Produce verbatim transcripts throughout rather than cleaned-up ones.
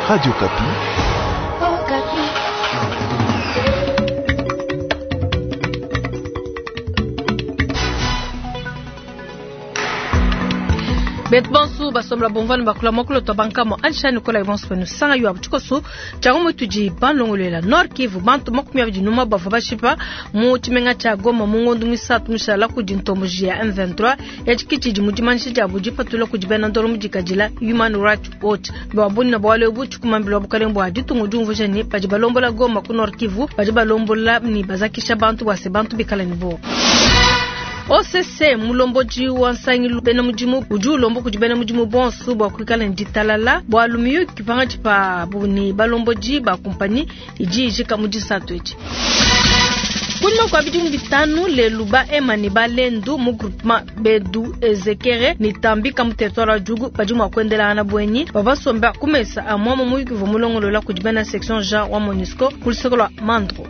Radio Okapi. Betu bonso basombola bomvana bakula mokolo to bankamo ansha nikola bonso penu sanga yo abuchikoso chango mutudi banlongolela Nord Kivu bantu makumi abidi numa bava bashipa mu tshimenga tsha Goma mu ngondu misatu mishala kudi ntomboji ya M vingt-trois ya tshikitshidi mu dimanisha dia budi patula kudi bena ndolo mu dikadila Human Rights Watch babuni na bwale bu tshikumambila bukalenge bwa ditungu diumvuja ne badi balombola Goma ku Nord Kivu badi balombola ni bazakisha bantu bwase bantu bikala ni bo O C C mulomboji wa nsangilu bena mudimu udi ulomba kudi bena mudimu bonso bua kuikala ne ditalala bua lumiyu kipanga pa buni balomboji ba kompani idi ijika mu disatu edi. Kunyima kua bidimu bitanu lelu ba ema ne balendu mu groupement Bedu Ezekere ne Tambika mu territoire wa Djugu badi mua kuendelangana bwenyi babasomba ku mesa a mwamo muyuki uvua mulongolola kudi bena section Jean wa MONUSCO ku luseke lua Mandro.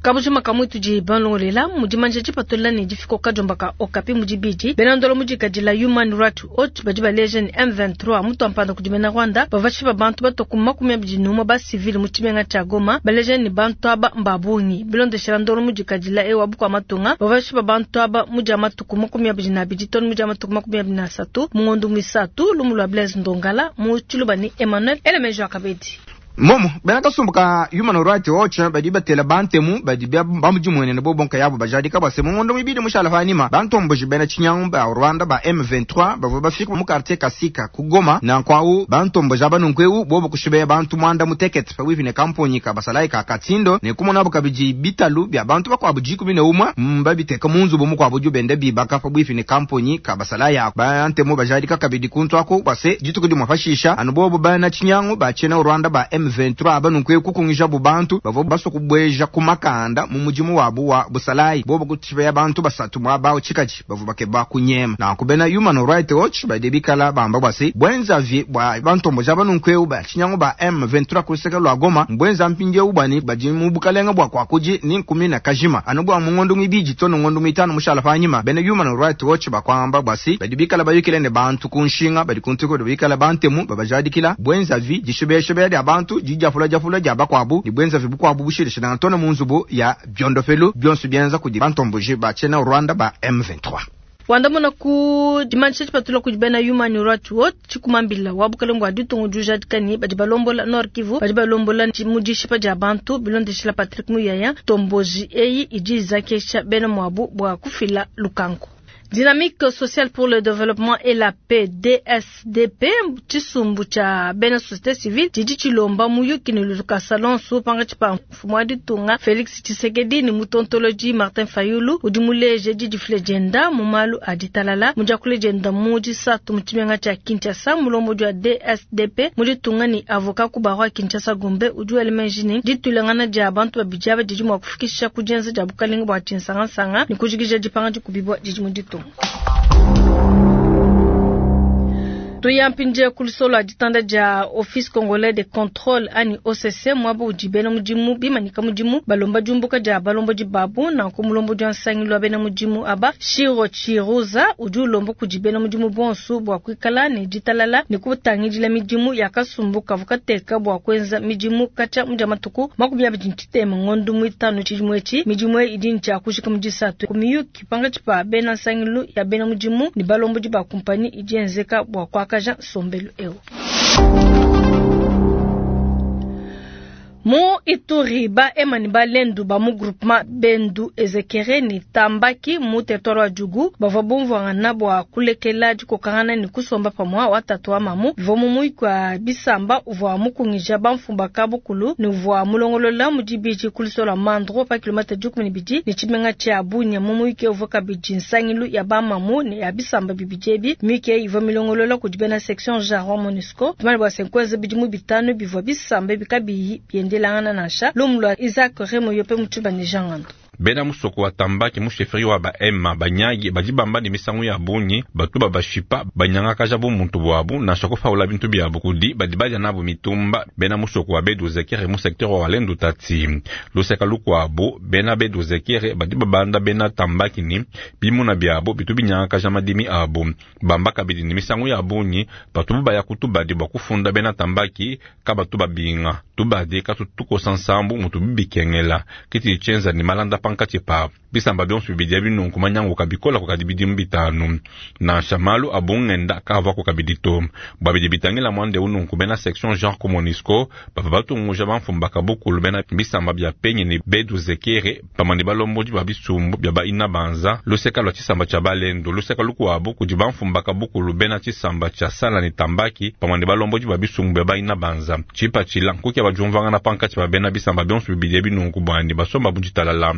Kabujima kamwe tudi banlongolela mudimanja dipatola ne difiko kajomba ka Okapi mudibidi bena ndolo mudikadila Human Rights Watch badi baleja ni M vingt-trois mutu ampanda kudi bena Rwanda bavashi bantu batoku makumi abidi numa ba civil mu tshimenga tsha Goma baleja ni bantu aba mbabungi bilondeshela ndolo mudikadila ewa bukwa matunga bavashi bantu aba mudia matuku makumi abidi na abidi tonu mudia matuku makumi abidi na asatu mu ngondo misatu lumu lwa Blaise Ndongala mu Tshiluba ni Emmanuel Elemejo Akabedi. Momo bena kasumbuka Human Rights Watch badi batela bantemu badi bamujimwene ne bobonka yabo bajadika base mu ngondo mibidi mushala fanima bantomboji bena chinyangu ba Rwanda ba M vingt-trois bavo bafika mu quartier Kasika ku Goma na kwawu bantomboji abanunkwewu bobo kushibeya bantu mwanda mutekete pa wivi ne kamponyi ka basalayi ka Katindo ne kumona abo kabiji bitalu bya bantu bakwabu jikumi ne umwa mbabiteka mu nzubu mukwabu jubende bibaka pa wivi ne kamponyi ka basalayi ako bantemu bajadika kabidi kuntu ako base dituku dimwafashisha anu bobo bana chinyangu ba chena Rwanda ba M vingt-trois abanunkwe kukungisha bubantu bavo baso kubweja kumakanda mu mujimu wabu wa busalayi bobo kutshibeya bantu basatu mwabawo chikachi bavo bakeba kunyema na kubena Human Rights Watch badebikala bamba bwase bwenza vi bwa bantombo jabanunkwe ba chinyango ba M vingt-trois kuseka lwa Goma mbwenza mpinje ubani baji mu bukalenga bwa kwakuji ni nkumi na kajima anubwa mu ngondo ngibiji tono ngondo mitano mushala fanyima bena Human Rights Watch bakwamba bwase badibikala bayukile ne bantu kunshinga badi kuntuko bikala bantemu babajadikila bwenza vi jishibeshebe ya bantu jijafula jafula jaba kwabu ni bwenza vibukwabu bushirisha na ntona munzubu ya byondofelu byonsu byenza kudi bantomboji ba chena Rwanda ba M vingt-trois. Wandamona ku dimanisha tshipatula kudi bena Human Rights Watch tshikumambila wa bukalenge bua ditungu diujadikani badi balombola Nord Kivu badi balombola mu dishipa dia bantu bilondeshela Patrick Muyaya tomboji eyi idi izakesha bena mwabu bua kufila lukanku. Dynamique sociale pour le développement et la paix D S D P tshisumbu tsha bena société civile tshidi tshilomba muyuki ne lukasa lonso panga tshipa mfumu wa ditunga Félix Tshisekedi ni mutontoloji Martin Fayulu udi muleje didifile dienda mu malu a ditalala mudiakule dienda mu disatu mu tshimenga tshia Kinshasa mulombodi wa D S D P mu ditunga ni avocat ku barreau ya Kinshasa Gombe udi wela meji ditulangana dia bantu babidi aba didi mua kufikisha ku dienza dia bukalenga bua tshinsangansanga ni kujikija dipanga dikubibua didi mu ditunga. Tuyampinje kulusolo aditanda dia Office Congolais de Contrôle ani O C C mwabo udi bena mudimu bimanika mudimu balomba diumbuka dia balombo di babu na ku mulombo dia nsangilu wa bena mudimu aba Shiro Chiruza udi ulomba kudi bena mudimu bonso bua kuikala ne ditalala ne kutangidila midimu ya kasumbu kavu kateka bua kuenza midimu kacha mudia matuku makumi abidi ntitema ngondu muitanu tshidimu etshi midimu idi ntshia kujika mu disatu ku miyuki panga tshipa bena nsangilu ya bena mudimu ne balombo di ba kompani idi enzeka bua kwa Jean Sombelu eo. Mu Ituri ba emani ba lendu ba mu groupement Bendu Ezekere ni Tambaki mu territoire wa Djugu bavua bumvuangana bua kulekela dikokangana ni kusomba pamua watatu wa mamu bivua mu muyuki wa bisamba uvua mukungija bamfumba kabukulu ni uvua mulongolola mu dibidi kulisola Mandro pa kilomètre dikumi ne bidi ni tshimenga tshia Bunia mu muyuki uvua kabidi nsangilu ya bamamu ne ya bisamba bibidi ebi muyuki ivua milongolola kudi bena section Jean wa MONUSCO tumane bua senkweza bidimu bitanu bivua bisamba bikabiyi biendelangana nansha lumulwa Isaac Remo yope mutuba ne Jean Ngando. Bena musoko wa Tambaki mu chefferie wa ba Hema banyagi badi bamba ne misangu ya bungi batu babashipa banyangakaja bu muntu bwabu nansha kufaula bintu byabu kudi badi badia nabu mitumba. Bena musoko wa Beduzekere mu secteur wa Walendu Tati luseka lukuabu bena Beduzekere badi babanda bena Tambaki ni bimuna byabo bitu binyangakaja madimi abu bamba kabidi ni misangu ya bungi batu baya kutubadi bwa kufunda bena Tambaki kabatu babinga tubadi katutukosa nsambu mutu bibikengela kiti chenza ni malanda pankatshi pa bisamba bionso bibidi binunku manyangu kabikola kukadi bidimu bitanu nansha malu abungenda kavako kabidi to bwa bidi bitangila mwande ununku bena section genre Monusco bava batunguja bamfumba kabukulu bena bisamba bya penye ni Beduzekere pamwe balombodi ba bisumbu bya ba ina banza luseka lwa tshisamba tsha balendo luseka lukuabu kudi bamfumba kabukulu bena tshisamba tsha sala ni Tambaki pamwe balombodi ba bisumbu bya ba ina banza tshipa tshila nkuki bajumvangana pankatshi ba bena bisamba bionso bibidi binunku bwandi basomba buditalala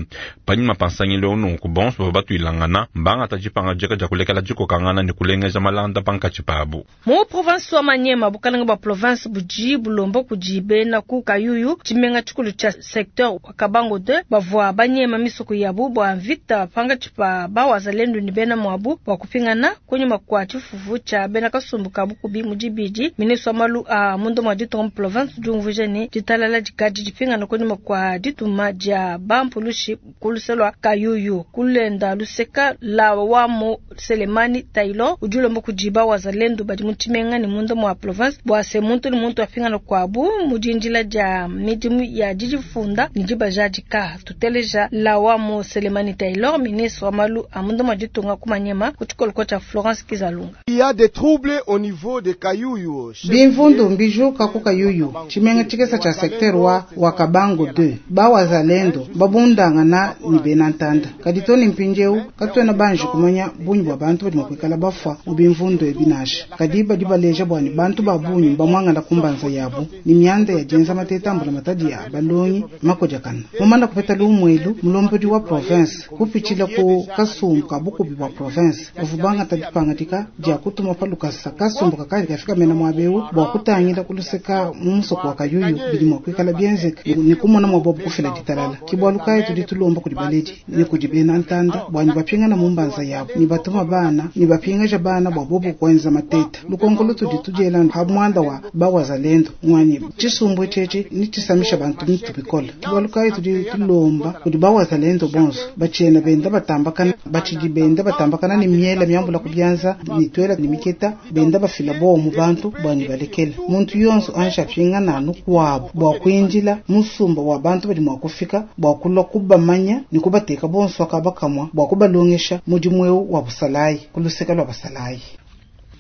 panyima pansangile ununku bonso bava batuilangana mbanga tshipanga jeka ja kulekela jikokangana ni kulengeja malanda pankatshi pabu. Mu province wa Maniema bukalanga ba province buji bulombo kudi bena ku Kayuyu tshimenga tshikulu tsha secteur wa Kabango deux bavua banyema misoko yabu bwa mvita pankatshi pa bawazalendu ni bena mwabu bwa kupingana kunyuma kwa tshifufu tsha bena kasumbu kabukubi mudibidi. Ministre wa malu a mundo mwa ditonga province diumvuija ne ditalala dikadi dipingana kunyuma kwa dituma dia bampulushi kuluselwa Kayuyu kulenda luseka la wamo Selemani Taylor udi ulomba kudi bawazalendu badi mu tshimenga ne munda mwa province bwa se muntu ne muntu apingana kwabu mudindila dia midimu ya didifunda ne dibajadika. Tuteleja la wamo Selemani Taylor, ministre wa malu a munda mwa ditunga ku Maniema ku tshikoloko tsha Florence Kizalunga. Il y a des troubles au niveau de Kayuyu. Bimvundu mbijuka ku Kayuyu tshimenga tshikesa tsha secteur wa wa Kabango deux bawazalendo babundangana ni bena ntanda kadi toni mpinjeu katwena banji kumanya bunyi bwa bantu badi makwikala bafwa mu bimvundu ebinasha kadi badi baleja bwani bantu ba bunyi bamwangana kumbanza yabu ni myanda ya jenza matetambula matadi ya balongi makojakana mumanda kupeta lumwelu mulombodi wa province kupitshila ku kasumbu ka bukubi bwa province bavubanga tadipangatika dia kutuma palukasa kasumbu kakali kafika mena mwabeu bwa kutangila kuluseka mu musoko wa Kayuyu bidi mwakwikala bienzeka ni kumona mwabobu kufila ditalala kibwalukayi tudi tulomba kudi baledi ni kudi bena ntanda bwani bapingana mumbanza yabo ni batuma bana ni bapingaja bana bwa bobu kwenza mateta lukonkolo tudi tudyela ha mwanda wa bawazalendo mwani tshisumbu tshetshi ni tshisamisha bantu mitu bikola kibwalukayi tudi tulomba kudi bawazalendo bonso bachena benda batambakana bachidi benda batambakana ni miela miambula kubyanza ni twela ni miketa benda bafila bo mu bantu bwani balekela muntu yonso ansha pingana nukwabo bwa kwinjila musumba wa bantu badi mwakufika bwa kulwa kubamanya ni kubateka bonso akabakamwa bwa kubalongesha mudimweu wa busalayi kuluseka lwa basalayi.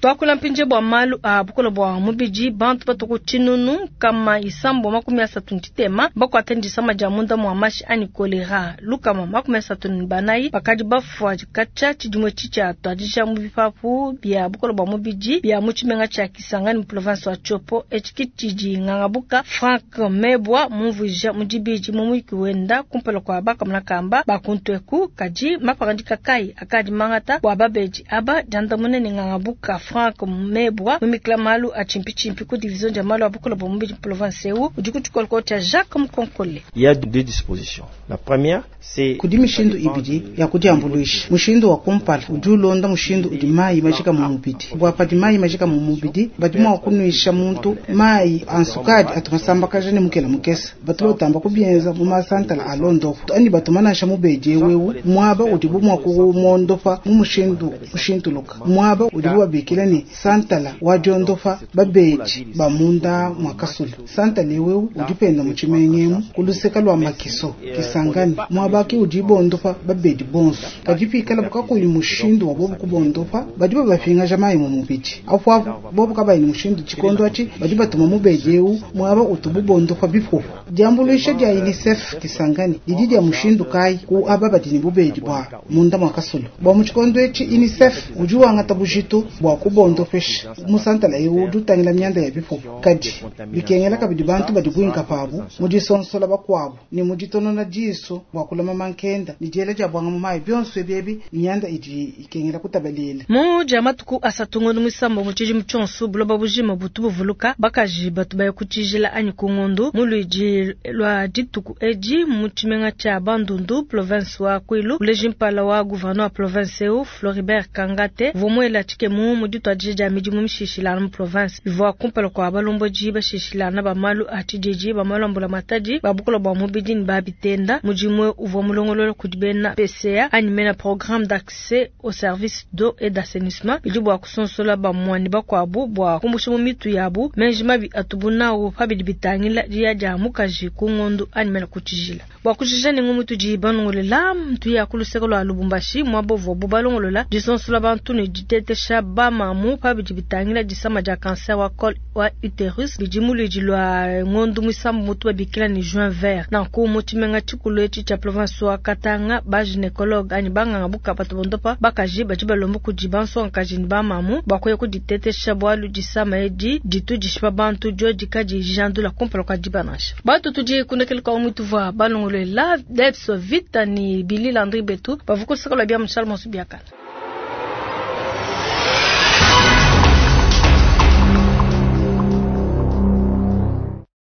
Twakula mpinje bwa malu a bukola bwa mubiji bantu batuku tshinunu kama isambo makumi asatu ntitema bakwata ndisama dia munda mwa mashi ani kolera lukama makumi asatu banayi bakadi bafwa katsha tshidimwe tshitshia tuadija mu bipapu bia bukola bwa mubiji bia mu tshimenga tshia Kisangani mu province wa Tshopo etshiki tshidi ngangabuka Frank Mebwa mumvuija mudibiji mu muyiki wenda kumpala kwa bakamuna kamba bakuntweku kadi mapangandika kai akadi mangata bwa babeji aba diandamune ne ngangabuka Frank Mebwa mumikla malu a chimpi chimpi ku division dia malu a bukola bwa mubiji province eu udi ku tshikoloko tsha Jacques Mkonkole. Il y a deux dispositions. La première c'est kudi mishindu ibidi ya kudiambuluisha mushindu wa kumpala udi ulonda mushindu udi mayi majika mu mubidi bwa padi mayi majika mu mubidi badi mwa kunwisha muntu mayi ansukadi atumasambakaja ne mukela mukesa batu batamba kubienza mu masantala alondopo ani batumanasha mubedi wewe mwaba udi bumwa kumondopa mu mushindu mushintuluka mwaba udi bubabikila ni santala wa diondopa babeji bamunda mwakasulu santala wewe udipenda mu tshimengemu kuluseka lwa makiso Kisangani mwabaki udibondopa babedi bonso kadipikala bukakuyi mushindu wa bobu kubondopa badi babapingaja mayi mu mubidi apo apo bobu kabayi ni mushindu tshikondo atshi badi batuma mubedi eu mwaba utububondopa bipupu diambuluisha dia UNICEF Kisangani didi dia mushindu kai ku aba badi ni bubedi bwa munda mwakasulu bwa mu tshikondo etshi UNICEF udi wangata bujitu bwa kubondopesha musantala eu udi utangila mianda ya bipupu kadi bikengela kabidi bantu badi buinka pabu mu disonsola bakuabu ne mu ditonona disu bua kulama mankenda ne diela dia bwanga mu mayi bionso ebi mianda idi ikengela kutabalela mu dia matuku asatu ngondo muisambo mu tshidimu tshionso buloba bujima butu buvuluka bakaji batu baya kutshijila anyi ku ngondu mu luidi lua dituku edi mu tshimenga tshia Bandundu province wa Kwilu uleji mpala wa gouverneur wa province eu Floribert Kangate vumuela tshikemu mu dituadija dia midimu mishishilana mu province bivua kumpala kua balombodi bashishilana ba malu a tshididi ba malu a mbulamatadi ba bukola bua mubidi ne ba bitenda mudimu uvua mulongolola kudi bena P C A anyi mena programme d'accès au service d'eau et d'assainissement bidi bua kusonsola bamwani bakuabu bua kumbusha mu mitu yabu menji mabi atubu nawu pabidi bitangila diya dia mukaji ku ngondu anyi mena kutshijila bua kujija ne ngumu tudi balongolola ntuya ku luseke lua Lubumbashi muaba uvuabu balongolola disonsola bantu ne ditetesha bamamu pabidi bitangila disama dia cancer wa col wa uterus bidi mu luidi lua ngondu muisambu mutu babikila ne juin vert nanku mu tshimenga tshikulu etshi tshia province wa Katanga ba gynécologue anyi banganga buka batu bondopa bakaji badi balomba kudi bansongakaji ne bamamu bua kuya kuditetesha bualu disama edi ditu dishipa bantu diodi kadi jandula kumpala kua diba nansha batu tudi kundekela kwa mutu vua balongolola Debs Vita ni Billy Landry betu bavuko luseke lua bia Charles Monsu biakana.